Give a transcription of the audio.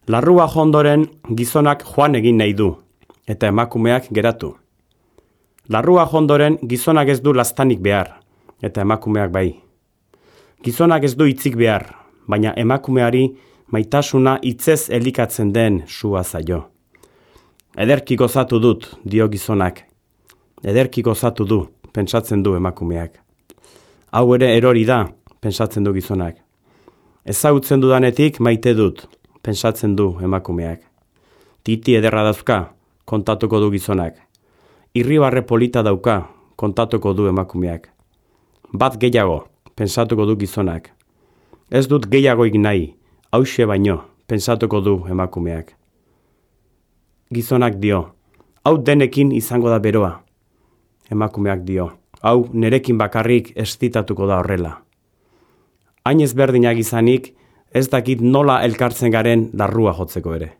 Larrua jo ondoren gizonak joan egin nahi du, eta emakumeak geratu. Larrua jo ondoren gizonak ez du laztanik behar, eta emakumeak bai. Gizonak ez du hitzik behar, baina emakumeari maitasuna hitzez elikatzen den sua zaio. Ederki gozatu dut, dio gizonak. Ederki gozatu du, pentsatzen du emakumeak. Hau ere erori da, pentsatzen du gizonak. Ezagutzen dudanetik maite dut, pentsatzen du emakumeak. Titi ederra dauzka, kontatuko du gizonak. Irribarre polita dauka, kontatuko du emakumeak. Bat gehiago, pentsatuko du gizonak. Ez dut gehiagoik nahi, hauxe baino, pentsatuko du emakumeak. Gizonak dio, hau denekin izango da beroa. Emakumeak dio, hau nerekin bakarrik estitatuko da horrela. Hain ezberdinak izanik, ez dakit nola elkartzen garen larrua jotzeko ere.